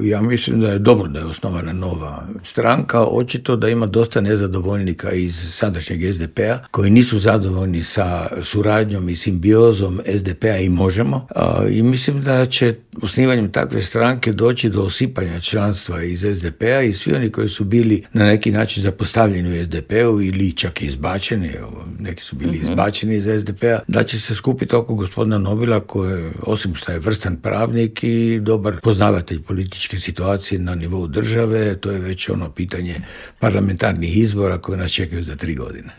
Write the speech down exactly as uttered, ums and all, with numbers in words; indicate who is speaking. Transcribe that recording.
Speaker 1: Ja mislim da je dobro da je osnovana nova stranka. Očito da ima dosta nezadovoljnika iz sadašnjeg es de pe a koji nisu zadovoljni sa suradnjom i simbiozom es de pe a i Možemo. I mislim da će osnivanjem takve stranke doći do osipanja članstva iz es de pe a i svi oni koji su bili na neki način zapostavljeni u es de pe u ili čak izbačeni, neki su bili mm-hmm. izbačeni iz es de pe a, da će se skupiti oko gospodina Nobila koji, osim što je vrstan pravnik i dobar poznavatelj političke situacije na nivou države, to je već ono pitanje parlamentarnih izbora koje nas čekaju za tri godine.